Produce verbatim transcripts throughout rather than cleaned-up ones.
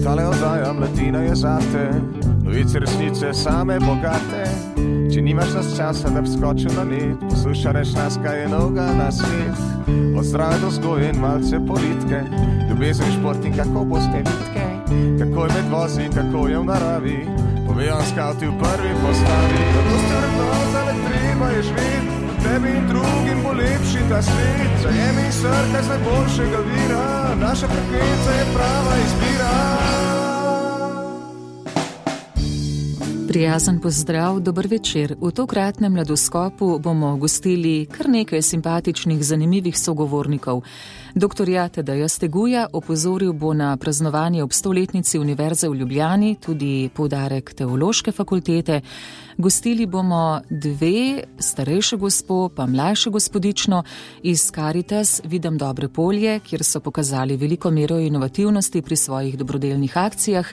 Tale oddaja Mladina je zate, novice resnice same bogate. Če nimaš nas časa, da bi skočil na net, poslušaj nas, kaj je novega na svet. Od zdrave do vzgoje in malce politike, ljubezen, šport in kako boste vitke, kako je med vozi, kako je v naravi, povejo skavti v prvi postavi. Kako ste vrednotali, treba je živeti, tebi in drugim bo lepši ta svet. Zajemi srce z najboljšega vira, naša frekvenca je prava izbira. Prijazen pozdrav, dober večer. V tokratnem Mladoskopu bomo gostili kar nekaj simpatičnih, zanimivih sogovornikov. Doktorja Tadeja Steguja opozoril bo na praznovanje ob stoletnici Univerze v Ljubljani, tudi poudarek Teološke fakultete. Gostili bomo dve, starejše gospo pa mlajše gospodično iz Caritas Vidam dobre polje, kjer so pokazali veliko mero inovativnosti pri svojih dobrodelnih akcijah.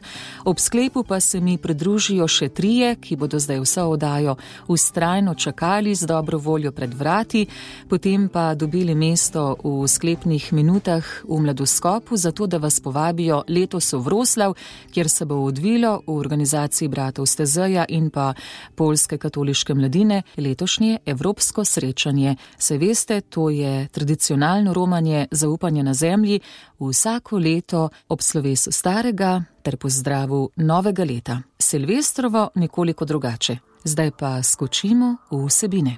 Ob sklepu pa se mi pridružijo še trije, ki bodo zdaj vso oddajo vztrajno čakali z dobro voljo pred vrati, potem pa dobili mesto v sklepnih minutah v Mladoskopu, zato da vas povabijo letos v Vroslav, kjer se bo odvilo v organizaciji bratov Stezeja in pa Poljske katoliške mladine letošnje evropsko srečanje. Se veste, to je tradicionalno romanje zaupanja na zemlji vsako leto ob slovesu starega ter pozdravu novega leta. Silvestrovo nekoliko drugače. Zdaj pa skočimo v vsebine.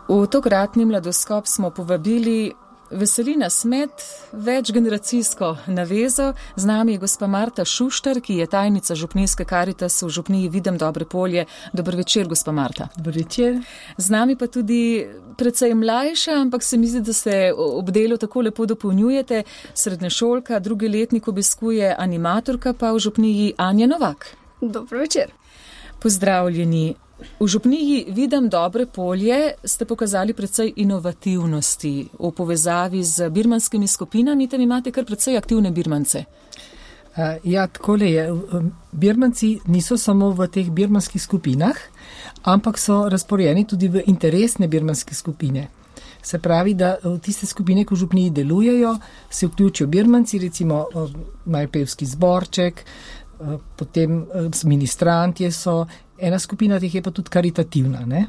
V tokratni Mladoskop smo povabili veseli nas med večgeneracijsko navezo. Z nami je gospa Marta Šuštar, ki je tajnica župnijske Caritas v župniji Vidam dobre polje. Dober večer, gospa Marta. Dober večer. Z nami pa tudi precej mlajša, ampak se mi zdi, da se ob delu tako lepo dopolnjujete. Srednješolka, drugi letnik obiskuje animatorka pa v župniji Anja Novak. Dober večer. Pozdravljeni. V župniji Vidam dobre polje ste pokazali precej inovativnosti v povezavi z birmanskimi skupinami, tam imate kar precej aktivne birmance. Ja, takole je. Birmanci niso samo v teh birmanskih skupinah, ampak so razporejeni tudi v interesne birmanske skupine. Se pravi, da v tiste skupine, ko v župniji delujejo, se vključijo birmanci, recimo majpevski zborček, potem ministrantje so. Ena skupina teh je pa tudi karitativna, ne?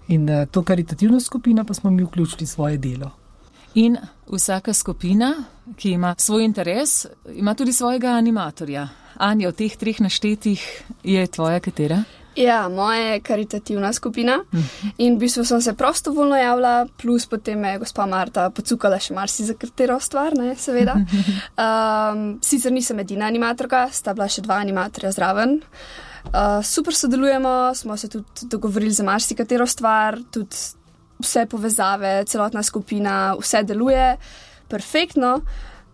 In to karitativno skupino pa smo mi vključili svoje delo. In vsaka skupina, ki ima svoj interes, ima tudi svojega animatorja. Anja, od teh treh naštetih je tvoja katera? Ja, moja je karitativna skupina in v bistvu sem se prostovoljno javila, plus potem me je gospa Marta pocukala še marsi za katero stvar, ne, seveda. Um, sicer nisem edina animatorka, sta bila še dva animatorja zraven. Uh, super sodelujemo, smo se tudi dogovorili za marsikatero stvar, tudi vse povezave, celotna skupina, vse deluje perfektno.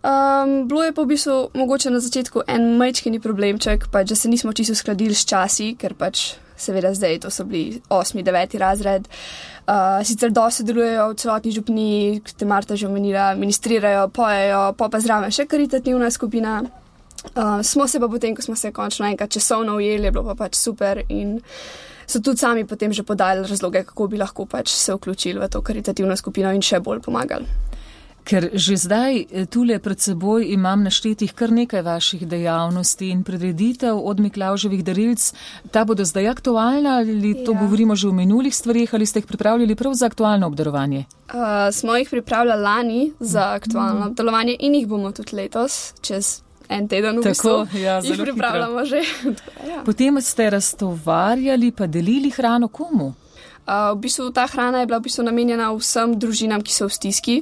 Um, bilo je pa v bistvu mogoče na začetku en majčkeni problemček, pač, da se nismo čisto uskladili s časi, ker pač seveda zdaj to so bili osmi, deveti razred. Uh, sicer dosti delujejo v celotni župniji, kot te Marta že omenila, ministrirajo, pojejo, pa pa zraven še karitativna skupina. Uh, smo se pa potem, ko smo se končno enkrat časovno ujeli, je bilo pa pač super in so tudi sami potem že podali razloge, kako bi lahko pač se vključili v to karitativno skupino in še bolj pomagali. Ker že zdaj tule pred seboj imam naštetih kar nekaj vaših dejavnosti in prireditev od Miklavževih darilc. Ta bodo zdaj aktualna ali to ja. Govorimo že o minulih stvarih ali ste jih pripravljali prav za aktualno obdarovanje? Uh, smo jih pripravljali lani za aktualno obdarovanje in jih bomo tudi letos, čez en teden v bistvu. Tako, ja, jih pripravljamo že. Ja. Potem ste raztovarjali pa delili hrano komu? Uh, v bistvu ta hrana je bila v bistvu namenjena vsem družinam, ki so v stiski,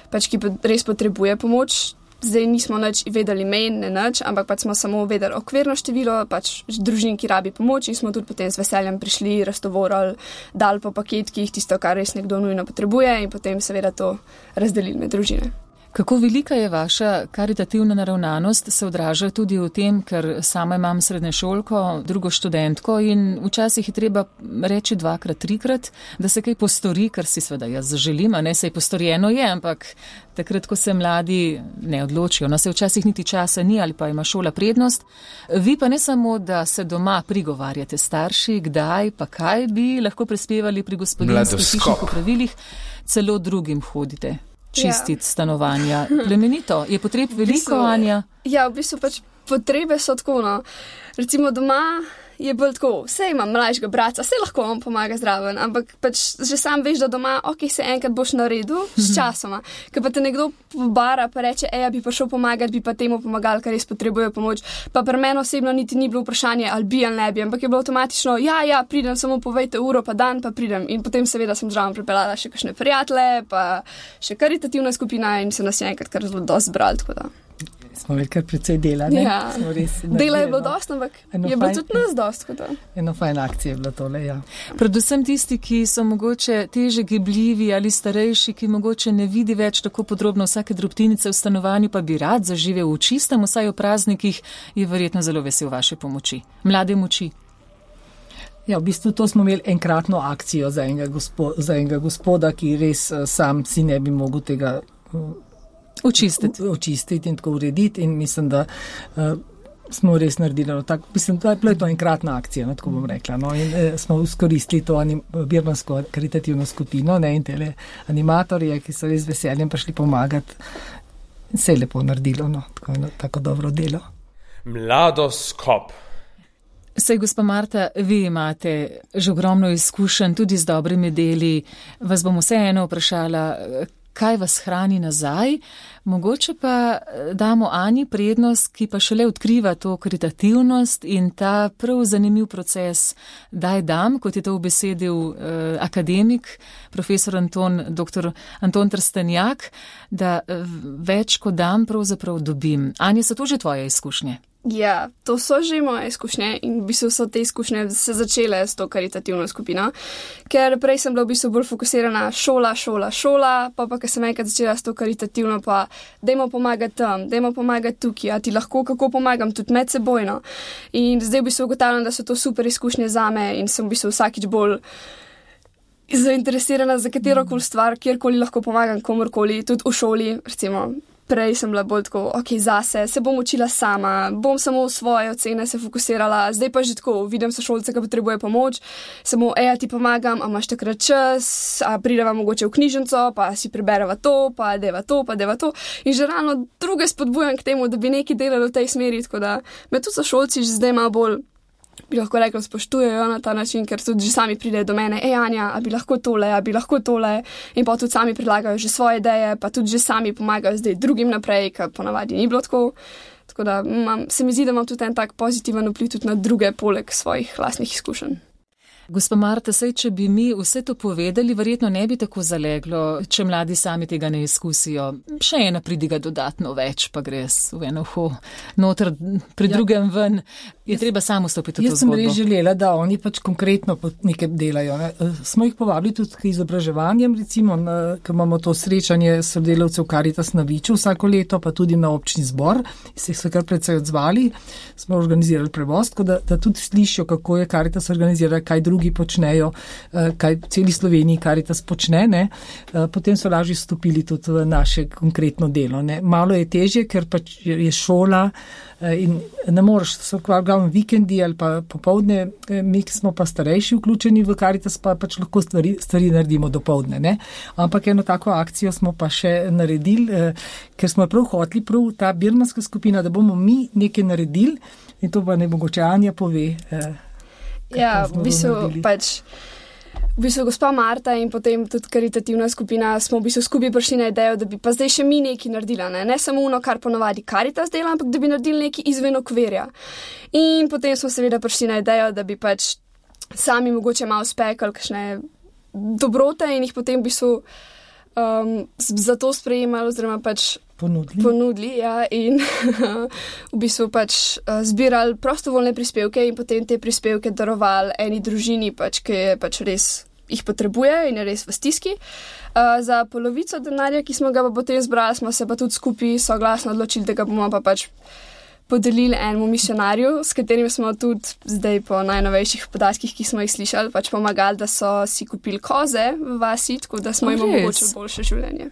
pač ki res potrebuje pomoč. Zdaj nismo nič vedeli mejn, ne nič, ampak pač smo samo vedeli okvirno število, pač družin, ki rabi pomoč in smo tudi potem z veseljem prišli, raztovorali, dali po paketkih tisto, kar res nekdo nujno potrebuje in potem seveda to razdelili med družine. Kako velika je vaša karitativna naravnanost, se odraža tudi v tem, ker sama imam srednješolko, drugo študentko in včasih je treba reči dvakrat, trikrat, da se kaj postori, kar si seveda jaz zaželim, a ne sej postorjeno je, ampak takrat, ko se mladi ne odločijo, no se včasih niti časa ni ali pa ima šola prednost. Vi pa ne samo, da se doma prigovarjate starši, kdaj pa kaj bi lahko prispevali pri gospodinjskih hišnih opravilih, celo drugim hodite. Čistiti ja. Stanovanja. Plemenito. Je potreb veliko, v bistvu, Anja? Ja, v bistvu pač potrebe so tako, no. Recimo doma je bolj tako, vse imam mlajšega brata, vse lahko on pomaga zraven, ampak pač že sam veš, da doma, ok, se enkrat boš naredil s časoma. Ker pa te nekdo pobara pa reče, eja, bi pa šel pomagati, bi pa temu pomagal, kar res potrebuje pomoč. Pa pri meni osebno niti ni bilo vprašanje, ali bi ali ne bi, ampak je bilo avtomatično, ja, ja, pridem, samo povejte uro, pa dan, pa pridem. In potem seveda sem zraven pripeljala še kakšne prijatelje, pa še karitativna skupina in se nas je enkrat kar zelo dosti zbrali, tako da. Smo imeli kar precej dela, ne? Ja, dela je bilo dosti, ampak je bilo tudi nas dosti. Eno fajn akcije je bilo tole, ja. Predvsem tisti, ki so mogoče teže gibljivi ali starejši, ki mogoče ne vidi več tako podrobno vsake drobtinice v stanovanju, pa bi rad zaživel v čistem, vsaj v praznikih, je verjetno zelo vesel vaše pomoči. Mlade moči. Ja, v bistvu to smo imeli enkratno akcijo za enega, gospo, za enega gospoda, ki res uh, sam si ne bi mogel tega uh, Očistiti. Očistiti in tako urediti in mislim, da uh, smo res naredili. No, tak, mislim, da je bila to enkratna akcija, no, tako bom rekla. No, in uh, smo izkoristili to anim, birmansko karitativno skupino, ne, in tele animatorje, ki so res veseljem prišli pomagati. In se je lepo naredilo, no, tako, no, tako dobro delo. Mladoskop. Sej, gospa Marta, vi imate že ogromno izkušenj tudi z dobrimi deli. Vas bom vseeno vprašala, kaj vas hrani nazaj, mogoče pa damo Ani prednost, ki pa šele odkriva to karitativnost in ta prav zanimiv proces daj dam, kot je to ubesedil eh, akademik, profesor Anton, doktor Anton Trstenjak, da več kot dam pravzaprav dobim. Anja, so to že tvoje izkušnje? Ja, to so že moje izkušnje in v bistvu so te izkušnje se začele s to karitativno skupino, ker prej sem bila v bistvu bolj fokusirana šola, šola, šola, pa pa, ker sem enkrat začela s to karitativno, pa dajmo pomagati tam, dajmo pomagati tukaj, a ti lahko kako pomagam, tudi med sebojno. In zdaj v bistvu ugotavljam, da so to super izkušnje zame in sem v bistvu vsakič bolj zainteresirana za katerokoli stvar, kjerkoli lahko pomagam komorkoli, tudi v šoli, recimo. Prej sem bila bolj tako, ok, zase, se bom učila sama, bom samo v svoje ocene se fokusirala, zdaj pa že tako, vidim sošolce, ki potrebuje pomoč, samo, eja, ti pomagam, a imaš takrat čas, a prideva mogoče v knjižnico, pa si prebereva to, pa deva to, pa deva to. In že ravno druge spodbujam k temu, da bi nekaj delali v tej smeri, tako da me tudi sošolci že zdaj malo bolj, bi lahko rekla, spoštujejo na ta način, ker tudi že sami pridejo do mene, ej Anja, a bi lahko tole, a bi lahko tole, in pa tudi sami predlagajo že svoje ideje, pa tudi že sami pomagajo zdaj drugim naprej, ker ponavadi ni bilo tako. Tako da mam, se mi zdi, da imam tudi en tak pozitiven vpliv tudi na druge, poleg svojih lastnih izkušenj. Gospa Marta, sej, če bi mi vse to povedali, verjetno ne bi tako zaleglo, če mladi sami tega ne izkusijo. Še ena pridiga dodatno več, pa gre v eno ho noter, pri ja. drugem ven. Je jaz, treba samo stopiti v to zgodbo. Jaz sem res želela, da oni pač konkretno nekaj delajo. Ne. Smo jih povabili tudi k izobraževanjem, recimo, ker imamo to srečanje sodelavcev Karitas na Viču vsako leto, pa tudi na občni zbor. Se so kar precej odzvali, smo organizirali prevoz, da, da tudi slišijo, kako je Karitas organizira, kaj drugi počnejo, kaj v celi Sloveniji Karitas počne, ne. Potem so lažje stopili tudi v naše konkretno delo. Ne. Malo je težje, ker pač je šola in ne moreš, so glavno vikendi ali pa popovdne, mi smo pa starejši vključeni v Karitas, pa pač lahko stvari, stvari naredimo dopoldne. Ne. Ampak eno tako akcijo smo pa še naredili, ker smo prav hoteli, prav ta birmanska skupina, da bomo mi nekaj naredili in to pa ne mogoče Anja pove. Ja, v bistvu pač, v bistvu gospa Marta in potem tudi karitativna skupina smo v bistvu skupaj prišli na idejo, da bi pa zdaj še mi nekaj naredila, ne, ne samo ono, kar ponavadi Karitas dela, ampak da bi naredili nekaj izven okvirja. In potem smo seveda prišli na idejo, da bi pač sami mogoče malo spekali kakšne dobrote in jih potem v bistvu um, za to sprejemali oziroma pač Ponudili. Ponudili, ja, in v bistvu pač uh, zbirali prostovoljne prispevke in potem te prispevke darovali eni družini, pač, ki je pač res jih potrebuje in je res v stiski. Uh, za polovico denarja, ki smo ga pa potem zbrali, smo se pa tudi skupaj soglasno odločili, da ga bomo pa pač podelili enemu misionarju, s katerim smo tudi zdaj po najnovejših podatkih, ki smo jih slišali, pač pomagali, da so si kupili koze v vasi, tako da smo jim omogočili boljše življenje.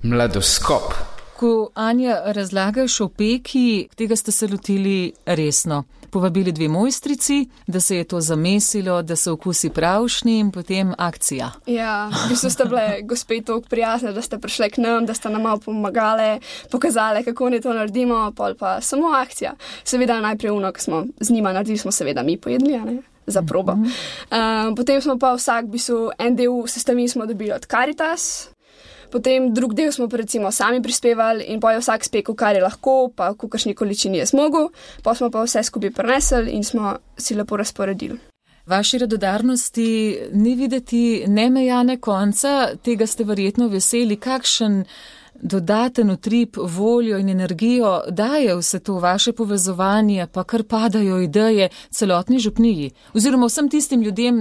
Mladoskop. Ko Anja razlagaš o peki, tega ste se lotili resno. Povabili dve mojstrici, da se je to zamesilo, da so okusi pravšni in potem akcija. Ja, v bistvu ste bile gospe toliko prijazne, da ste prišle k nam, da ste nam malo pomagale, pokazale, kako ne to naredimo, pol pa samo akcija. Seveda najprej uno, ko smo z njima naredili, smo seveda mi pojedli, a ne? Za probo. Uh, potem smo pa vsak, v bistvu, en del sestavin smo dobili od Caritas, potem drug del smo pa recimo sami prispevali in pa je vsak spekel, kar je lahko, pa v kakršni količini je zmogel, pa smo pa vse skupaj prinesli in smo si lepo razporedili. Vaši radodarnosti ni videti nemejane konca, tega ste verjetno veseli, kakšen dodaten utrip, voljo in energijo daje vse to vaše povezovanje, pa kar padajo ideje celotni župniji, oziroma vsem tistim ljudem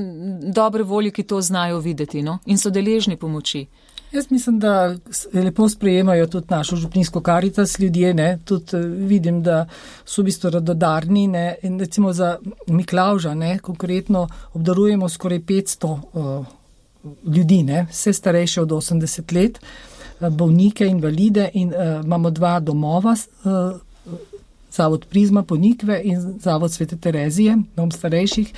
dobre volje, ki to znajo videti, no? In so deležni pomoči. Jaz mislim, da lepo sprejemajo tudi našo župninsko Caritas ljudje, ne, tudi vidim, da so v bistvu radodarni, ne, in recimo za Miklavža, ne, konkretno obdarujemo skoraj petsto uh, ljudi, ne, vse starejše od osemdeset let, bolnike, invalide in uh, imamo dva domova, uh, Zavod Prizma Ponikve in Zavod Svete Terezije, dom starejših,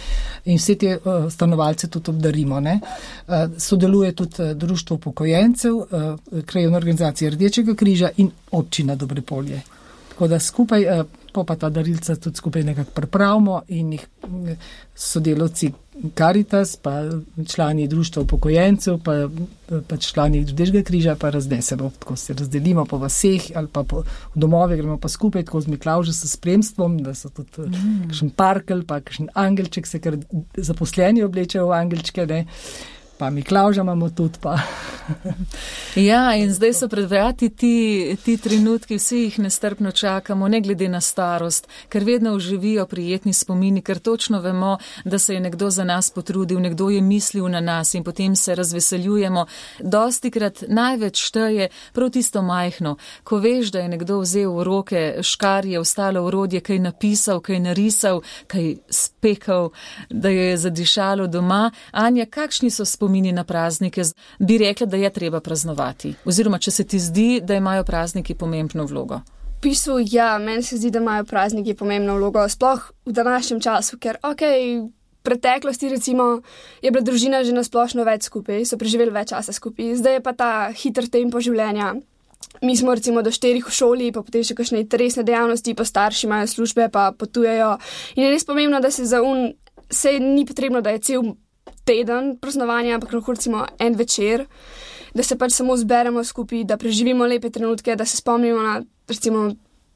in vse te uh, stanovalce tudi obdarimo. Ne. Uh, sodeluje tudi uh, Društvo upokojencev, uh, krajevna organizacija Rdečega križa in občina Dobrepolje. Tako da skupaj, uh, po pa ta darilca tudi skupaj nekako pripravimo in jih uh, sodelavci Caritas, pa člani Društva upokojencev, pa, pa člani Rdečega križa, pa raznesemo, tako se razdelimo po vaseh ali pa po domove, gremo pa skupaj, tako z Miklavža s spremstvom, da so tudi mm. kakšen parkel, pa kakšen angelček, se kar zaposleni oblečejo v angelčke, ne. Pa Miklavža imamo tudi pa. Ja, in zdaj so pred vrati ti, ti trenutki, vsi jih nestrpno čakamo, ne glede na starost, ker vedno oživijo prijetni spomini, ker točno vemo, da se je nekdo za nas potrudil, nekdo je mislil na nas in potem se razveseljujemo. Dostikrat največ šteje prav tisto majhno, ko veš, da je nekdo vzel v roke škarje, ostalo orodje, kaj napisal, kaj narisal, kaj spekal, da je zadišalo doma. Anja, kakšni so spomini na praznike? Bi rekla, da je treba praznovati? Oziroma, če se ti zdi, da imajo prazniki pomembno vlogo? V bistvu, ja, meni se zdi, da imajo prazniki pomembno vlogo, sploh v današnjem času, ker, okej, v preteklosti recimo je bila družina že nasplošno več skupaj, so preživeli več časa skupaj, zdaj je pa ta hiter tempo življenja. Mi smo recimo do štirih v šoli, pa potem še kakšne interesne dejavnosti, pa starši imajo službe, pa potujejo. In je res pomembno, da se za un, se ni potrebno, da je cel teden praznovanja, ampak lahko recimo en večer, da se pač samo zberemo skupaj, da preživimo lepe trenutke, da se spomnimo na recimo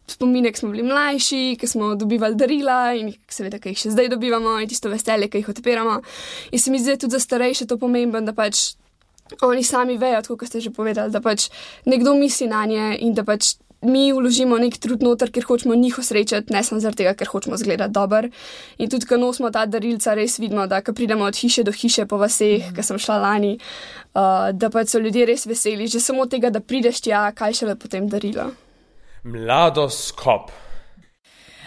spomine, ki smo bili mlajši, ki smo dobivali darila in seveda, ki jih še zdaj dobivamo in tisto veselje, ki jih odpiramo. In se mi zdi tudi za starejše to pomembno, da pač oni sami vejo, tako kot ste že povedali, da pač nekdo misli na nje in da pač mi vložimo nek trud noter, ker hočemo njih osrečati, ne samo zaradi tega, ker hočemo zgledati dober. In tudi, ko nosimo ta darilca, res vidimo, da ko pridemo od hiše do hiše po vaseh, ko sem šla lani, uh, da pač so ljudje res veseli, že samo tega, da prideš tja, kaj šele potem darilo. Mladoskop.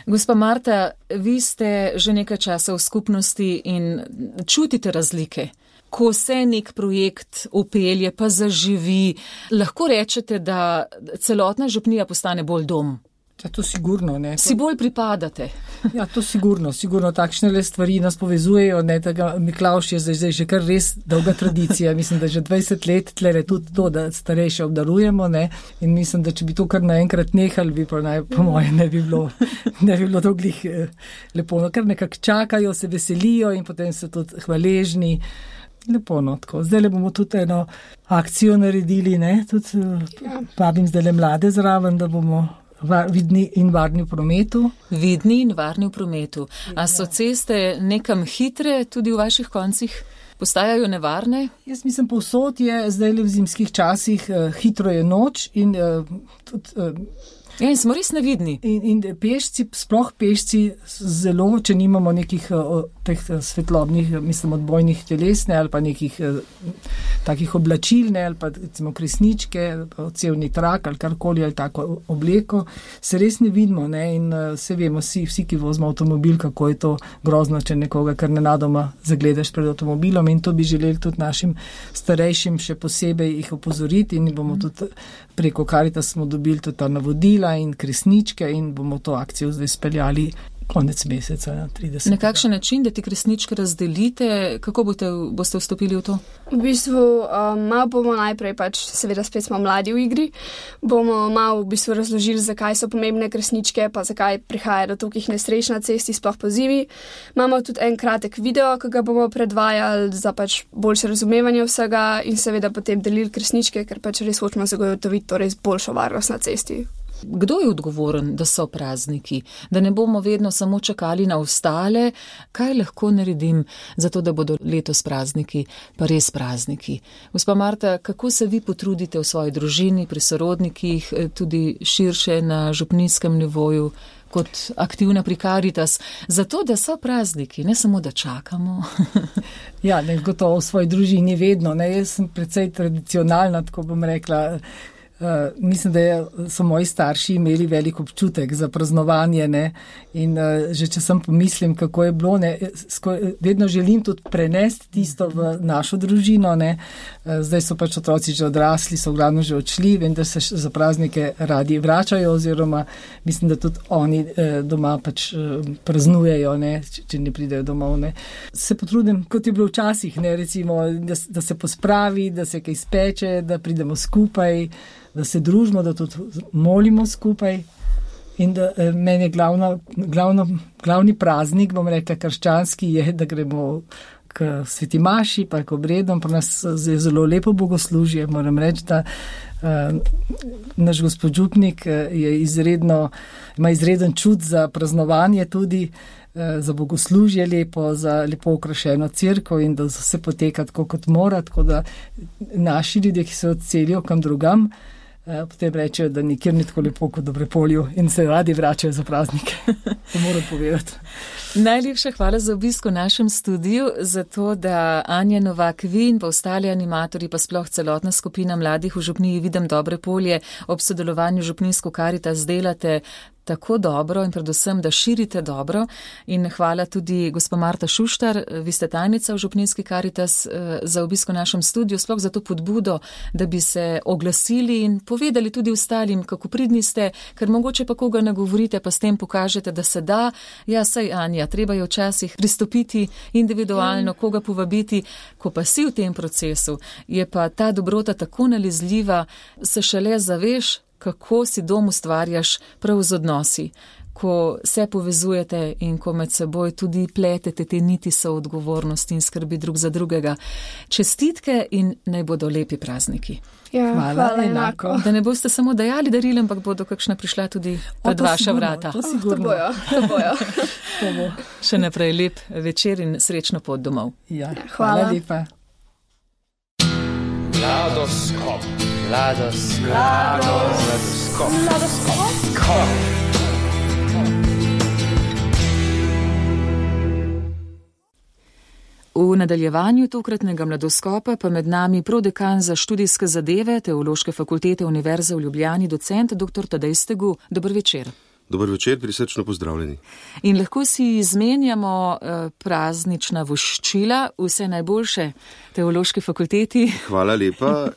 Gospa Marta, vi ste že nekaj časa v skupnosti in čutite razlike. Ko se nek projekt upelje, pa zaživi, lahko rečete, da celotna župnija postane bolj dom. Ja, to sigurno, ne. Si bolj pripadate. Ja, to sigurno, sigurno takšne le stvari nas povezujejo, ne, tega Miklavž je zdaj, zdaj že kar res dolga tradicija, mislim, da že dvajset let tlele tudi to, da starejše obdarujemo, ne, in mislim, da če bi to kar naenkrat nehali, bi pa naj, po moje ne bi bilo, ne bi bilo dolglih eh, lepo, no, kar nekako čakajo, se veselijo in potem so tudi hvaležni. Lepo, no, tako. Zdaj le bomo tudi eno akcijo naredili, ne, tudi ja. Vabim zdaj le mlade zraven, da bomo var, vidni in varni v prometu. Vidni in varni v prometu. A so ceste nekam hitre tudi v vaših koncih? Postajajo nevarne? Jaz mislim, povsod je zdaj le v zimskih časih, eh, hitro je noč in eh, tudi eh, Ja, in smo res nevidni. In, in pešci, sploh pešci, zelo, če nimamo nekih o, teh svetlobnih, mislim, odbojnih telesne ali pa nekih takih oblačilne ali pa recimo kresničke, cevni trak ali karkoli ali tako obleko, se res ne vidimo, ne? In se vemo vsi, vsi, ki vozimo avtomobil, kako je to grozno, če nekoga kar nenadoma zagledaš pred avtomobilom, in to bi želeli tudi našim starejšim še posebej jih opozoriti in bomo tudi preko Karitas smo dobili tudi ta navodila in kresničke in bomo to akcijo zdaj speljali konec meseca, ja, tridesetega. Na kakšen način, da ti kresničke razdelite, kako boste, boste vstopili v to? V bistvu um, malo bomo najprej, pač seveda spet smo mladi v igri, bomo malo v bistvu razložili, zakaj so pomembne kresničke, pa zakaj prihaja do tolikih nesreč na cesti, sploh pozimi. Imamo tudi en kratek video, ki ga bomo predvajali za pač boljše razumevanje vsega in seveda potem delili kresničke, ker pač res hočemo zagotoviti torej boljšo varnost na cesti. Kdo je odgovoren, da so prazniki? Da ne bomo vedno samo čakali na ostale, kaj lahko naredim za to, da bodo letos prazniki, pa res prazniki? Gospa Marta, kako se vi potrudite v svoji družini, pri sorodnikih, tudi širše na župnijskem nivoju, kot aktivna pri Karitas, zato, da so prazniki, ne samo, da čakamo? Ja, ne, gotovo v svoji družini vedno, ne, jaz sem precej tradicionalna, tako bom rekla. Uh, mislim, da je, so moji starši imeli velik občutek za praznovanje, ne, in uh, že če sem pomislim, kako je bilo, ne, sko, vedno želim tudi prenesti tisto v našo družino, ne, uh, zdaj so pač otroci že odrasli, so glavno že odšli, vem, da se za praznike radi vračajo, oziroma mislim, da tudi oni uh, doma pač uh, praznujejo, ne, če, če ne pridejo domov, ne. Se potrudim, kot je bilo včasih, ne, recimo, da, da se pospravi, da se kaj speče, da pridemo skupaj, da se družimo, da tudi molimo skupaj in da eh, meni je glavno, glavno, glavni praznik, bom rekla, krščanski je, da gremo k sveti maši, pa k obredom, pa nas je zelo lepo bogoslužje, moram reči, da eh, naš gospod župnik je izredno, ima izreden čut za praznovanje tudi, eh, za bogoslužje lepo, za lepo okrašeno cerkev in da se poteka tako kot mora, tako da naši ljudje, ki se odselijo kam drugam, potem rečejo, da nikjer ni tako lepo kot v Dobrepolju in se radi vračajo za praznike. To moram povedati. Najlepša hvala za obisk v našem studiu, za to, da Anja Novak, vi in pa ostali animatorji, pa sploh celotna skupina mladih v župniji Videm Dobrepolje ob sodelovanju župnijsko Karitas delate tako dobro in predvsem, da širite dobro. In hvala tudi gospa Marta Šuštar, vi ste tajnica v župnijski Karitas, za obisk v našem studiu, sploh za to podbudo, da bi se oglasili in povedali tudi ostalim, kako pridni ste, ker mogoče pa koga nagovorite, pa s tem pokažete, da se da. Ja, saj Anja, treba je včasih pristopiti individualno, koga povabiti, ko pa si v tem procesu, je pa ta dobrota tako nalezljiva, se šele zaveš, kako si dom ustvarjaš prav z odnosi, ko se povezujete in ko med seboj tudi pletete te niti soodgovornosti in skrbi drug za drugega. Čestitke in naj bodo lepi prazniki. Ja, hvala, hvala enako. enako. Da ne boste samo dajali darila, ampak bodo kakšna prišla tudi pred vaša sigurno, vrata. To To sigurno. bojo, to bojo. To bo. Še naprej lep večer in srečno pot domov. Ja, Ja, hvala hvala. lepa. Mladoskop. Mladoskop. Mladoskop. Mladoskop. V nadaljevanju tokratnega mladoskopa pa med nami prodekan za študijske zadeve Teološke fakultete Univerze v Ljubljani, docent dr. Tadej Stegu. Dober večer. Dober večer, prisrčno pozdravljeni. In lahko si izmenjamo eh, praznična voščila, vse najboljše Teološki fakulteti. Hvala lepa,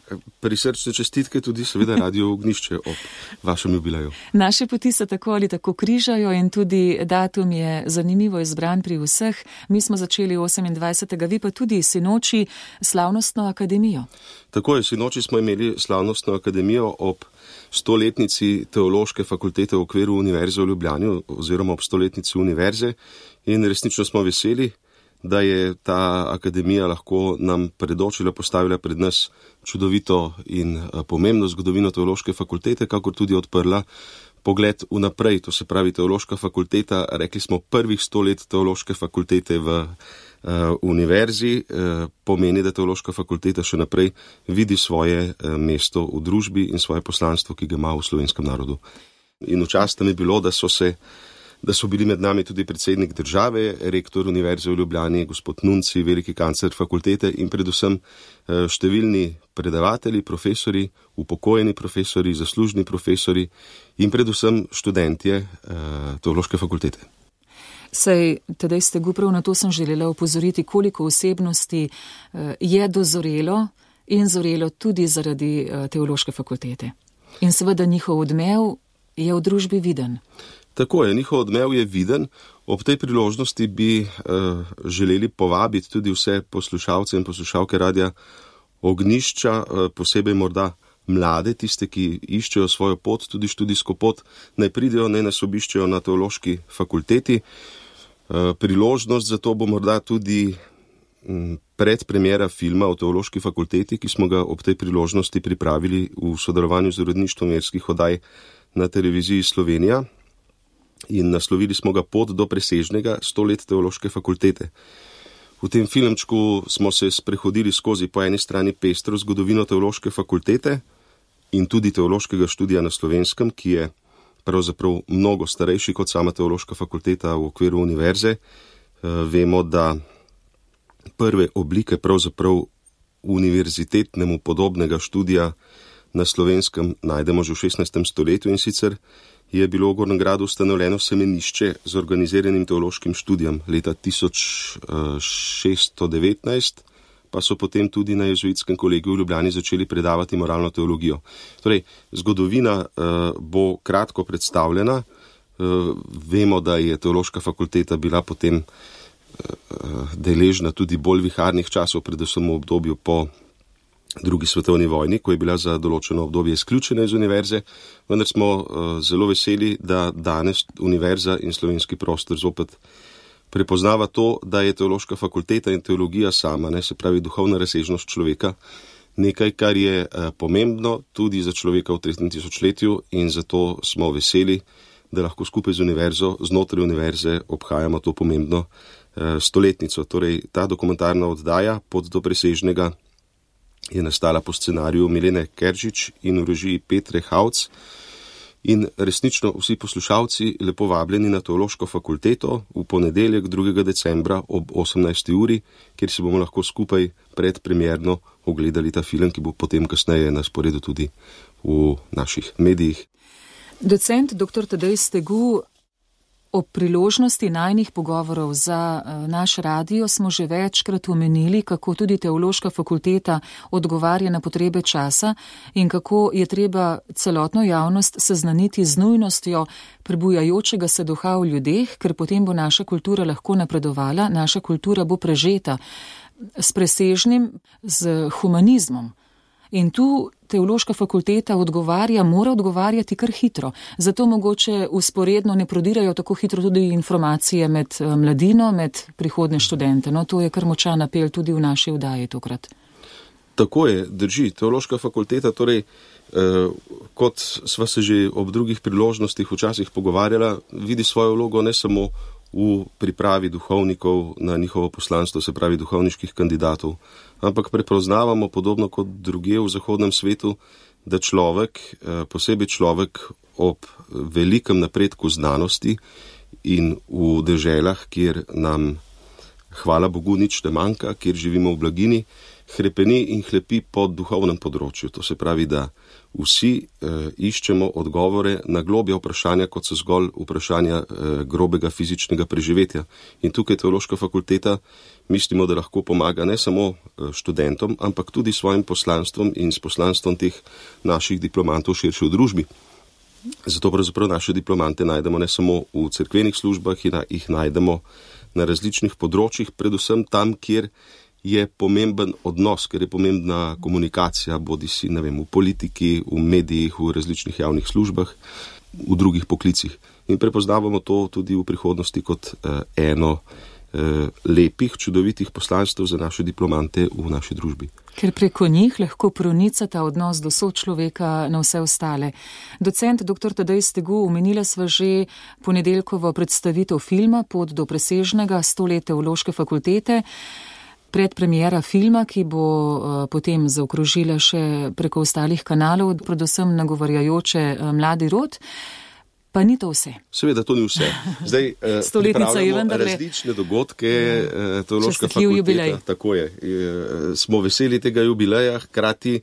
prisrčne čestitke tudi seveda Radio Ognjišče ob vašem jubileju. Naše poti se tako ali tako križajo in tudi datum je zanimivo izbran pri vseh. Mi smo začeli osemindvajsetega vi pa tudi sinoči slavnostno akademijo. Tako je, sinoči smo imeli slavnostno akademijo ob stoletnici Teološke fakultete v okviru Univerze v Ljubljani oziroma ob stoletnici univerze in resnično smo veseli, da je ta akademija lahko nam predočila, postavila pred nas čudovito in pomembno zgodovino Teološke fakultete, kakor tudi odprla pogled vnaprej. To se pravi, Teološka fakulteta, rekli smo prvih sto let Teološke fakultete v Uh, univerzi, uh, pomeni, da Teološka fakulteta še naprej vidi svoje uh, mesto v družbi in svoje poslanstvo, ki ga ima v slovenskem narodu. In v čast mi je bilo, da so se da so bili med nami tudi predsednik države, rektor Univerze v Ljubljani, gospod Nunci, veliki kancler fakultete in predvsem številni predavatelji, profesori, upokojeni profesori, zaslužni profesori in predvsem študentje teološke fakultete. Sej, tedaj ste prav na to sem želela opozoriti, koliko osebnosti je dozorelo in zorelo tudi zaradi teološke fakultete. In seveda njihov odmev je v družbi viden. Tako je, njihov odmev je viden. Ob tej priložnosti bi uh, želeli povabiti tudi vse poslušalce in poslušalke Radia Ognjišča, uh, posebej morda mlade, tiste, ki iščejo svojo pot, tudi študijsko pot, naj pridejo, naj nas obiščejo na teološki fakulteti. Uh, priložnost za to bo morda tudi um, predpremiera filma o teološki fakulteti, ki smo ga ob tej priložnosti pripravili v sodelovanju z uredništvom verskih oddaj na televiziji Slovenija. In naslovili smo ga Pot do presežnega, sto let teološke fakultete. V tem filmčku smo se sprehodili skozi po eni strani pestro zgodovino teološke fakultete in tudi teološkega študija na Slovenskem, ki je pravzaprav mnogo starejši kot sama teološka fakulteta v okviru univerze. Vemo, da prve oblike pravzaprav univerzitetnemu podobnega študija na Slovenskem najdemo že v šestnajstem stoletju in sicer je bilo v Gornjem Gradu ustanovljeno semenišče z organiziranim teološkim študijem leta tisoč šeststo devetnajst, pa so potem tudi na jezuitskem kolegiju v Ljubljani začeli predavati moralno teologijo. Torej, zgodovina uh, bo kratko predstavljena. Uh, vemo, da je teološka fakulteta bila potem uh, deležna tudi bolj viharnih časov, predvsem v obdobju po drugi svetovni vojni, ko je bila za določeno obdobje izključena iz univerze, vendar smo uh, zelo veseli, da danes univerza in slovenski prostor zopet prepoznava to, da je teološka fakulteta in teologija sama, ne, se pravi duhovna razsežnost človeka, nekaj, kar je uh, pomembno tudi za človeka v tretjem tisočletju in zato smo veseli, da lahko skupaj z univerzo, znotraj univerze obhajamo to pomembno uh, stoletnico. Torej, ta dokumentarna oddaja Pot do presežnega je nastala po scenariju Milene Keržič in v režiji Petre Hauc. In resnično vsi poslušalci lepo vabljeni na teološko fakulteto v ponedeljek drugega decembra ob osemnajsti uri, kjer si bomo lahko skupaj predpremierno ogledali ta film, ki bo potem kasneje na sporedu tudi v naših medijih. Docent dr. Tadej Stegu, ob priložnosti najnih pogovorov za naš radio smo že večkrat omenili, kako tudi teološka fakulteta odgovarja na potrebe časa in kako je treba celotno javnost seznaniti z nujnostjo prebujajočega se duha v ljudeh, ker potem bo naša kultura lahko napredovala, naša kultura bo prežeta s presežnim, z humanizmom. In tu teološka fakulteta odgovarja, mora odgovarjati kar hitro. Zato mogoče usporedno ne prodirajo tako hitro tudi informacije med mladino, med prihodne študente. No, to je kar močan apel tudi v naši oddaji tokrat. Tako je, drži. Teološka fakulteta, torej, eh, kot sva se že ob drugih priložnostih včasih pogovarjala, vidi svojo vlogo ne samo v pripravi duhovnikov na njihovo poslanstvo, se pravi duhovniških kandidatov, ampak prepoznavamo podobno kot drugje v zahodnem svetu, da človek, posebej človek ob velikem napredku znanosti in v deželah, kjer nam, hvala Bogu, nič ne manjka, kjer živimo v blaginji, hrepeni in hlepi po duhovnem področju. To se pravi, da vsi eh, iščemo odgovore na globja vprašanja, kot so zgolj vprašanja eh, grobega fizičnega preživetja. In tukaj teološka fakulteta mislimo, da lahko pomaga ne samo študentom, ampak tudi svojim poslanstvom in s poslanstvom teh naših diplomantov širše v družbi. Zato pravzaprav naše diplomante najdemo ne samo v cerkvenih službah, jih najdemo na različnih področjih, predvsem tam, kjer je pomemben odnos, ker je pomembna komunikacija, bodi si, ne vem, v politiki, v medijih, v različnih javnih službah, v drugih poklicih. In prepoznavamo to tudi v prihodnosti kot eh, eno eh, lepih, čudovitih poslanstv za naše diplomante v naši družbi. Ker preko njih lahko pronica ta odnos do sočloveka na vse ostale. Docent dr. Tadej Stegu, omenila sva že ponedeljkovo predstavitev filma Pot do presežnega, sto let teološke fakultete, predpremiera filma, ki bo uh, potem zaokrožila še preko ostalih kanalov, predvsem nagovarjajoče uh, mladi rod. Pa ni to vse. Seveda, to ni vse. Zdaj, Stoletnica je vendarle različne dogodke, ja, teološka fakulteta, jubilej. Tako je. Smo veseli tega jubileja, hkrati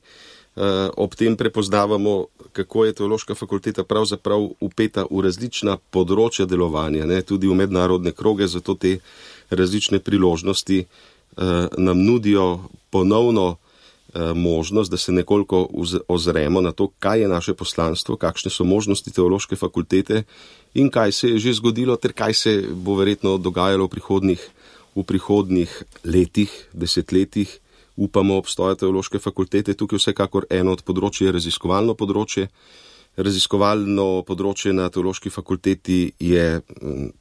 ob tem prepoznavamo, kako je teološka fakulteta pravzaprav upeta v različna področja delovanja, ne, tudi v mednarodne kroge, zato te različne priložnosti nam nudijo ponovno možnost, da se nekoliko ozremo na to, kaj je naše poslanstvo, kakšne so možnosti teološke fakultete in kaj se je že zgodilo, ter kaj se bo verjetno dogajalo v prihodnih, v prihodnih letih, desetletjih. Upamo obstoja teološke fakultete. Tukaj vsekakor eno od področij je raziskovalno področje. Raziskovalno področje na teološki fakulteti je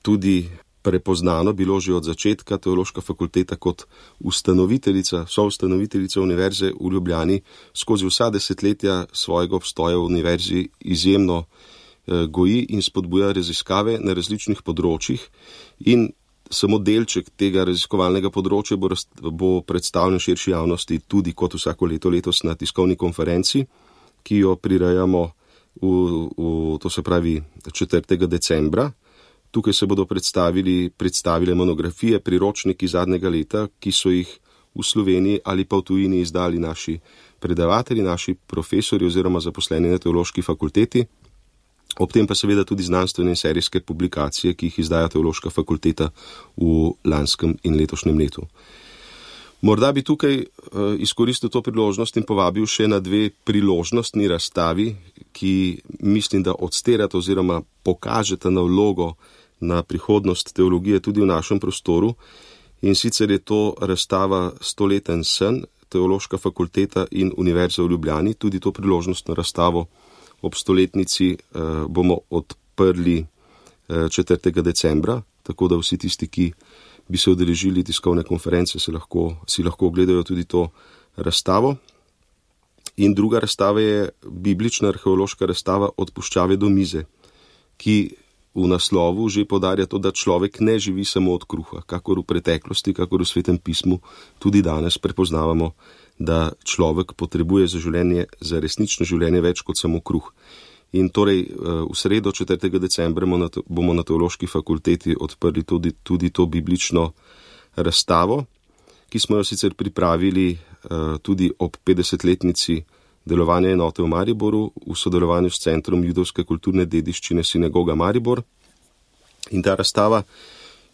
tudi prepoznano bilo že od začetka. Teološka fakulteta kot ustanoviteljica, soustanoviteljica Univerze v Ljubljani skozi vsa desetletja svojega obstoja v univerzi izjemno eh, goji in spodbuja raziskave na različnih področjih in samo delček tega raziskovalnega področja bo, bo predstavljen širši javnosti tudi kot vsako leto letos na tiskovni konferenci, ki jo prirejamo v, v, to se pravi četrtega decembra. Tukaj se bodo predstavili, predstavile monografije, priročniki zadnjega leta, ki so jih v Sloveniji ali pa v tujini izdali naši predavatelji, naši profesori oziroma zaposleni na teološki fakulteti. Ob tem pa seveda tudi znanstvene in serijske publikacije, ki jih izdaja teološka fakulteta v lanskem in letošnjem letu. Morda bi tukaj uh, izkoristil to priložnost in povabil še na dve priložnostni razstavi, ki mislim, da odsterata oziroma pokažeta na vlogo na prihodnost teologije tudi v našem prostoru. In sicer je to razstava Stoleten sen, teološka fakulteta in Univerza v Ljubljani. Tudi to priložnostno razstavo ob stoletnici uh, bomo odprli uh, četrtega decembra, tako da vsi tisti, ki bi se udeležili tiskovne konference, se lahko, si lahko ogledajo tudi to razstavo. In druga razstava je biblična arheološka razstava Od puščave do mize, ki v naslovu že poudarja to, da človek ne živi samo od kruha, kakor v preteklosti, kakor v Svetem pismu, tudi danes prepoznavamo, da človek potrebuje za življenje, za resnično življenje več kot samo kruh. In torej v sredo četrtega decembra bomo na teološki fakulteti odprli tudi, tudi to biblično razstavo, ki smo jo sicer pripravili tudi ob petdesetletnici delovanja enote v Mariboru v sodelovanju s Centrom judovske kulturne dediščine Sinagoga Maribor. In ta razstava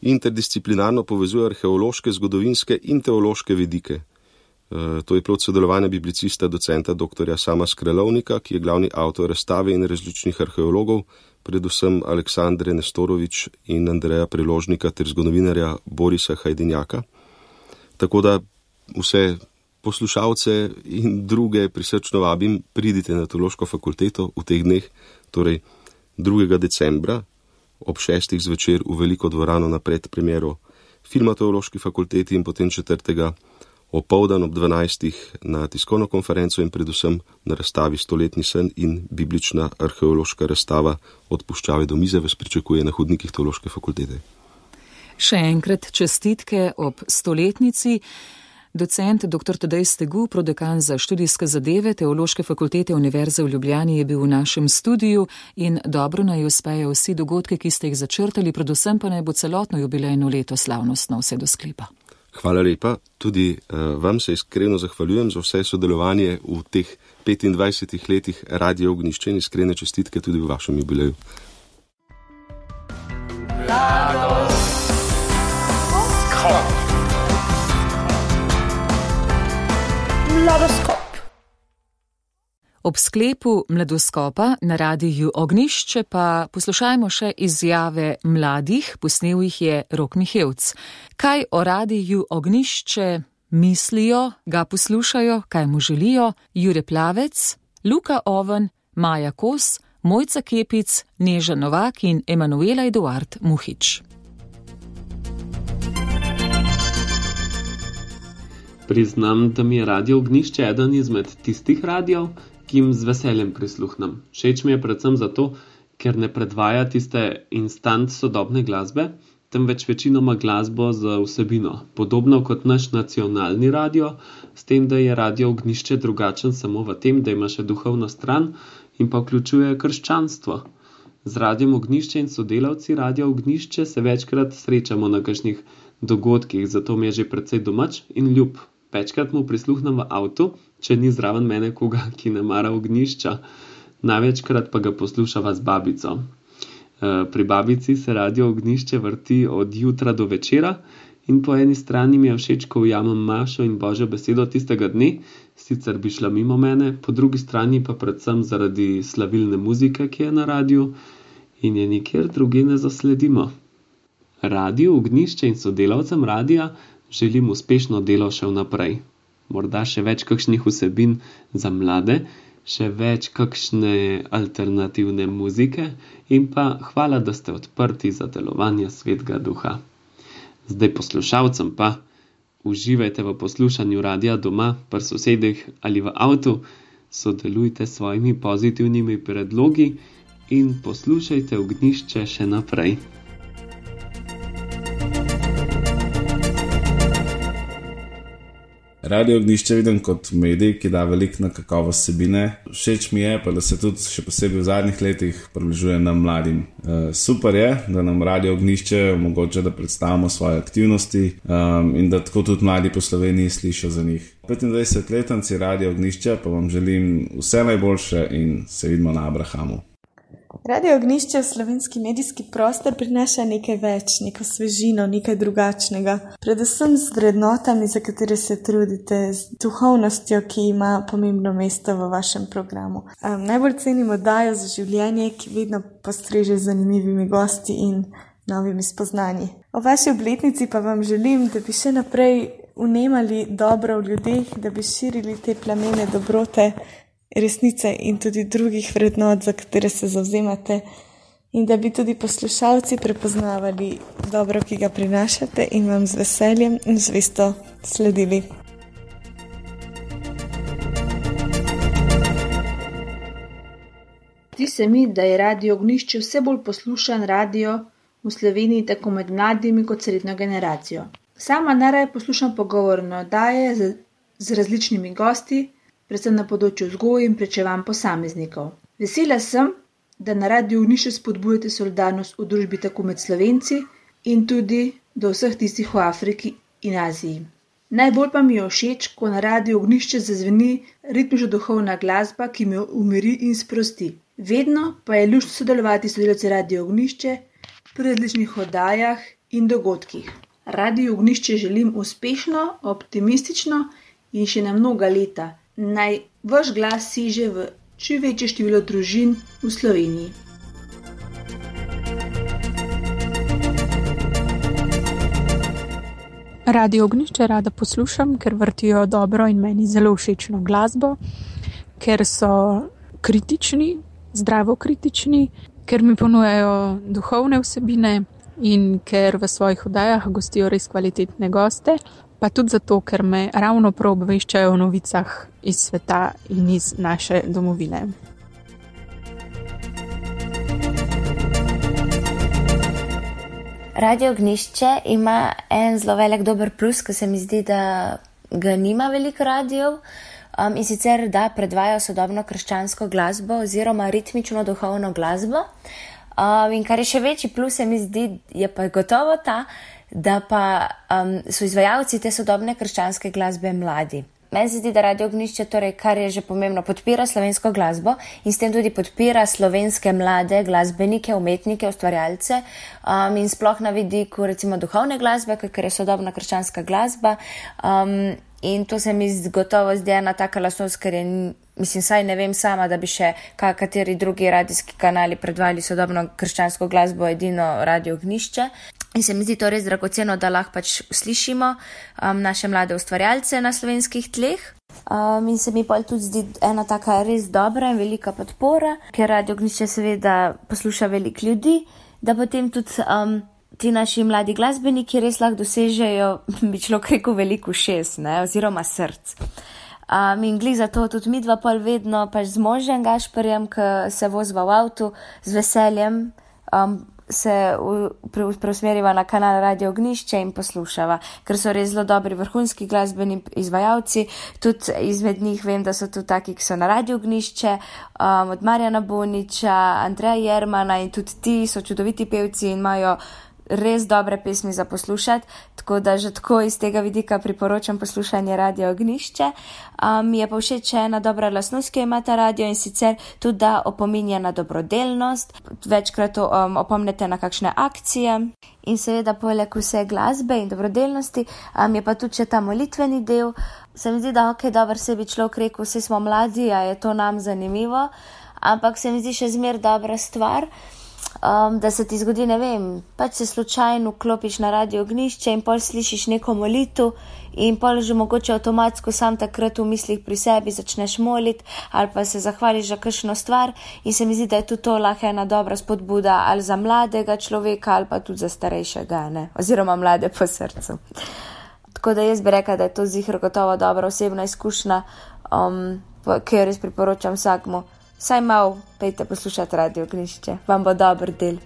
interdisciplinarno povezuje arheološke, zgodovinske in teološke vidike. To je plod sodelovanja biblicista docenta doktorja Sama Skrelovnika, ki je glavni avtor razstave in različnih arheologov, predvsem Aleksandre Nestorovič in Andreja Preložnika ter zgodovinarja Borisa Hajdinjaka. Tako da vse poslušalce in druge prisrčno vabim, pridite na teološko fakulteto v teh dneh, torej drugega decembra ob šestih zvečer v veliko dvorano na predpremiero filma teološki fakulteti in potem četrtega opoldan ob dvanajstih na tiskovno konferenco in predvsem na razstavi Stoletni sen in biblična arheološka razstava Od puščave do mize vas pričakuje na hodnikih teološke fakultete. Še enkrat čestitke ob stoletnici. Docent dr. Tadej Stegu, prodekan za študijske zadeve Teološke fakultete Univerze v Ljubljani, je bil v našem studiu in dobro naj uspejo vsi dogodke, ki ste jih začrtali, predvsem pa naj bo celotno jubilejno leto slavnostno vse do sklepa. Hvala lepa, tudi uh, vam se iskreno zahvaljujem za vse sodelovanje v teh petindvajsetih letih Radia Ognjišče in iskrene čestitke tudi v vašem jubileju. Mladoskop. Ob sklepu Mladoskopa na Radiu Ognjišče pa poslušajmo še izjave mladih, posnel jih je Rok Mihevc. Kaj o Radiu Ognjišče mislijo, ga poslušajo, kaj mu želijo? Jure Plavec, Luka Oven, Maja Kos, Mojca Kepic, Neža Novak in Emanuela Eduard Muhič. Priznam, da mi je Radio Ognjišče eden izmed tistih radijev, ki jim z veseljem prisluhnem. Všeč mi je predvsem zato, ker ne predvaja tiste instant sodobne glasbe, temveč večinoma glasbo z vsebino, podobno kot naš nacionalni radio, s tem, da je Radio Ognjišče drugačen samo v tem, da ima še duhovno stran in pa vključuje krščanstvo. Z Radijem Ognišče in sodelavci Radia Ognišče se večkrat srečamo na kakšnih dogodkih, zato mi je že precej domač in ljub. Večkrat mu prisluhnem v avtu, če ni zraven mene koga, ki ne mara ognjišča. Največkrat pa ga poslušava z babico. Pri babici se Radio Ognišče vrti od jutra do večera in po eni strani mi je všeč, ko ujamem Mašo in Božjo besedo tistega dne, sicer bi šla mimo mene, po drugi strani pa predvsem zaradi slavilne muzike, ki je na radiju in je nikjer drugje ne zasledimo. Radio Ognišče in sodelavcem radija želim uspešno delo še vnaprej. Morda še več kakšnih vsebin za mlade, še več kakšne alternativne muzike in pa hvala, da ste odprti za delovanje Svetega Duha. Zdaj poslušalcem pa uživajte v poslušanju radia doma, pri sosedih ali v avtu, sodelujte s svojimi pozitivnimi predlogi in poslušajte Ognišče še naprej. Radio Ognišče vidim kot medij, ki da veliko na kakovost vsebine. Všeč mi je, pa da se tudi še posebej v zadnjih letih približuje nam mladim. E, super je, da nam Radio Ognišče omogoča, da predstavimo svoje aktivnosti um, in da tako tudi mladi po Sloveniji slišijo za njih. petindvajsetletnici Radio Ognišče pa vam želim vse najboljše in se vidimo na Abrahamu. Radio Ognišče v slovenski medijski prostor prinaša nekaj več, neko svežino, nekaj drugačnega. Predvsem z vrednotami, za katere se trudite, z duhovnostjo, ki ima pomembno mesto v vašem programu. Um, najbolj cenim oddajo za življenje, ki vedno postreže z zanimivimi gosti in novimi spoznanji. O vaši obletnici pa vam želim, da bi še naprej vnemali dobro v ljudeh, da bi širili te plamene dobrote, resnice in tudi drugih vrednot, za katere se zavzemate, in da bi tudi poslušalci prepoznavali dobro, ki ga prinašate in vam z veseljem in zvesto sledili. Zdi se mi, da je Radio Ognišče vse bolj poslušan radio v Sloveniji tako med mladimi kot srednjo generacijo. Sama najraje poslušam pogovorne oddaje z, z različnimi gosti, predvsem na področju vzgoje in prečevanj posameznikov. Vesela sem, da na Radio Ognišče spodbujate solidarnost v družbi tako med Slovenci in tudi do vseh tistih v Afriki in Aziji. Najbolj pa mi je všeč, ko na Radio Ognišče zazveni ritmično duhovna glasba, ki me umiri in sprosti. Vedno pa je luštno sodelovati s sodelavci Radio Ognišče pri različnih oddajah in dogodkih. Radio Ognišče želim uspešno, optimistično in še na mnoga leta. Naj vaš glas siže v čim večje število družin v Sloveniji. Radio Ognišče rada poslušam, ker vrtijo dobro in meni zelo všečno glasbo, ker so kritični, zdravo kritični, ker mi ponujajo duhovne vsebine in ker v svojih oddajah gostijo res kvalitetne goste, pa tudi zato, ker me ravno prav obveščajo o novicah iz sveta in iz naše domovine. Radio Ognišče ima en zelo velik dober plus, ki se mi zdi, da ga nima veliko radijev, um, in sicer da predvajajo sodobno krščansko glasbo oziroma ritmično duhovno glasbo. Um, in kar je še večji plus, se mi zdi, je pa gotovo ta, da pa um, so izvajalci te sodobne krščanske glasbe mladi. Meni se zdi, da Radio Ognišče, torej, kar je že pomembno, podpira slovensko glasbo in s tem tudi podpira slovenske mlade glasbenike, umetnike, ustvarjalce um, in sploh na vidiku recimo duhovne glasbe, ker je sodobna krščanska glasba. Um, in to se mi gotovo zdi ena taka lastnost, ker je, mislim, saj ne vem sama, da bi še kateri drugi radijski kanali predvajali sodobno krščansko glasbo, edino Radio Ognišče. In se mi zdi to res dragoceno, da lahko pač slišimo um, naše mlade ustvarjalce na slovenskih tleh. Um, in se mi pa tudi zdi ena taka res dobra in velika podpora, ker Radio Ognišče seveda posluša veliko ljudi, da potem tudi um, ti naši mladi glasbeniki res lahko dosežejo, bi človek rekel, veliko ušes, ne, oziroma src. Um, in glih zato tudi midva pol vedno pač z možem Gašperjem, ki se vozva v avtu, z veseljem um, se preusmeriva na kanal Radio Ognišče in poslušava, ker so res zelo dobri vrhunski glasbeni izvajalci. Tudi izmed njih vem, da so tudi taki, ki so na Radio Ognišče, um, od Marjana Boniča, Andreja Jermana in tudi ti so čudoviti pevci in imajo res dobre pesmi za poslušati, tako da že tako iz tega vidika priporočam poslušanje Radio Ognišče. Um, mi je pa všeč ena dobra lastnost, ki jo ima ta radio, in sicer tudi, da opominja na dobrodelnost, večkrat um, opomnete na kakšne akcije in seveda poleg vse glasbe in dobrodelnosti um, je pa tudi še ta molitveni del. Se mi zdi, da ok, dober se bi človek rekel, vsi smo mladi, a je to nam zanimivo, ampak se mi zdi še zmer dobra stvar, Um, da se ti zgodi, ne vem, pač se slučajno vklopiš na Radio Ognišče in pol slišiš neko molitev in pol že mogoče avtomatsko sam takrat v mislih pri sebi začneš moliti ali pa se zahvališ za kakšno stvar, in se mi zdi, da je tudi to lahko ena dobra spodbuda ali za mladega človeka ali pa tudi za starejšega, ne, oziroma mlade po srcu. Tako da jaz bi rekla, da je to ziher gotovo dobra osebna izkušnja, um, ki jo res priporočam vsakmu. Saj malo pejte poslušati Radio Ognišče, vam bo dober del.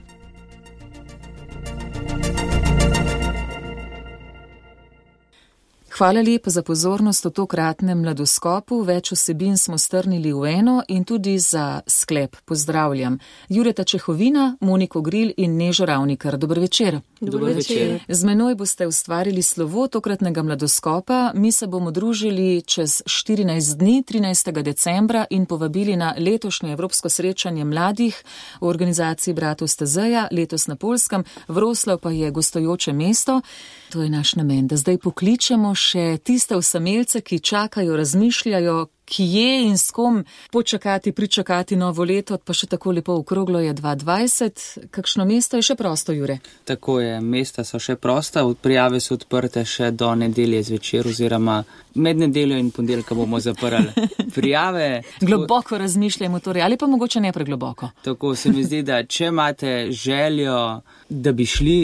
Hvala lepa za pozornost v tokratnem mladoskopu. Več vsebin smo strnili v eno in tudi za sklep pozdravljam Jureta Čehovina, Moniko Gril in Nežo Ravnikar. Dober večer. Dober večer. Z menoj boste ustvarili slovo tokratnega mladoskopa. Mi se bomo družili čez štirinajst dni, trinajstega decembra, in povabili na letošnje evropsko srečanje mladih v organizaciji Bratov Stezeja, letos na Poljskem. Wroclaw pa je gostujoče mesto. To je naš namen, da zdaj pokličemo še tiste osamelce, ki čakajo, razmišljajo, kje in s kom počakati, pričakati novo leto, pa še tako lepo okroglo je dva tisoč dvajset. Kakšno mesto je še prosto, Jure? Tako je, mesta so še prosta, prijave so odprte še do nedelje zvečer, oziroma med nedeljo in ponedeljka bomo zaprli prijave. Globoko razmišljamo torej, ali pa mogoče ne pregloboko. Tako se mi zdi, da če imate željo, da bi šli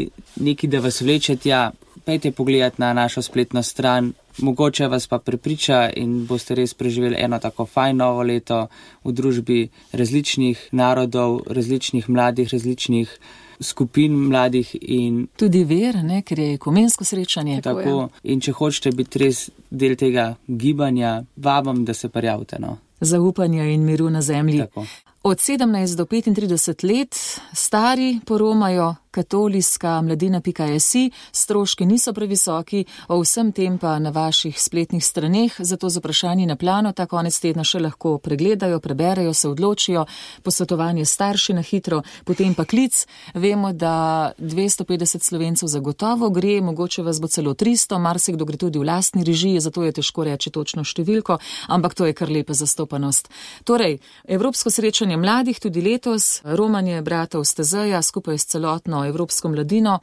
neki, da vas vleče tja, pejte pogledati na našo spletno stran, mogoče vas pa prepriča in boste res preživeli eno tako fajn novo leto v družbi različnih narodov, različnih mladih, različnih skupin mladih in tudi ver, ne, ker je ekumensko srečanje. Tako, tako. In če hočete biti res del tega gibanja, vabam, da se prijavite, no. Zaupanja in miru na zemlji. Tako. Od sedemnajst do petintrideset let stari poromajo katoliska mladina pika si, stroški niso previsoki, o vsem tem pa na vaših spletnih straneh, zato z vprašanji na plano ta konec tedna še lahko pregledajo, preberejo, se odločijo, posvetovanje starši na hitro, potem pa klic. Vemo, da dvesto petdeset Slovencev zagotovo gre, mogoče vas bo celo tristo, marsikdo gre tudi v lastni režiji, zato je težko reči točno številko, ampak to je kar lepa zastopanost. Torej, evropsko srečanje mladih tudi letos, romanje Bratov Stezeja skupaj s celotno evropsko mladino.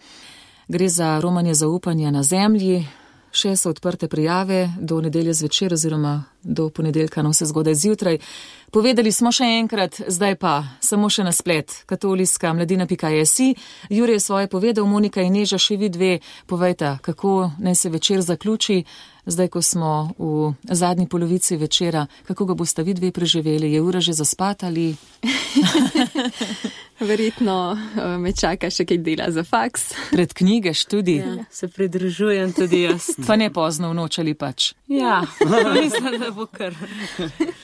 Gre za romanje zaupanja na zemlji. Še so odprte prijave do nedelje zvečer oziroma do ponedeljka, no vse zgodaj zjutraj. Povedali smo še enkrat, zdaj pa samo še na splet, katoliska mladina pika si. Jure je svoje povedal, Monika in Neža še vi dve, povejte, kako naj se večer zaključi, zdaj ko smo v zadnji polovici večera, kako ga boste vi dve preživeli, je ura že zaspat ali... Verjetno me čaka še kaj dela za faks. Pred knjige študij. Ja, se pridružujem tudi jaz. Pa ne pozno v noč ali pač. Ja, mislim, da bo kar.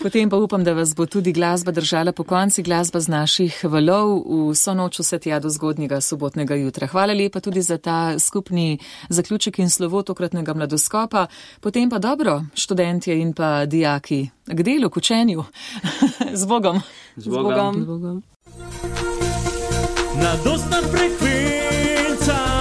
Potem pa upam, da vas bo tudi glasba držala po konci, glasba z naših valov vso noč vse tja do zgodnjega sobotnega jutra. Hvala lepa tudi za ta skupni zaključek in slovo tokratnega mladoskopa. Potem pa dobro, študentje in pa dijaki, k delu, k učenju. Z Bogom. Z Bogom. Z Bogom. Na dostna frekvenca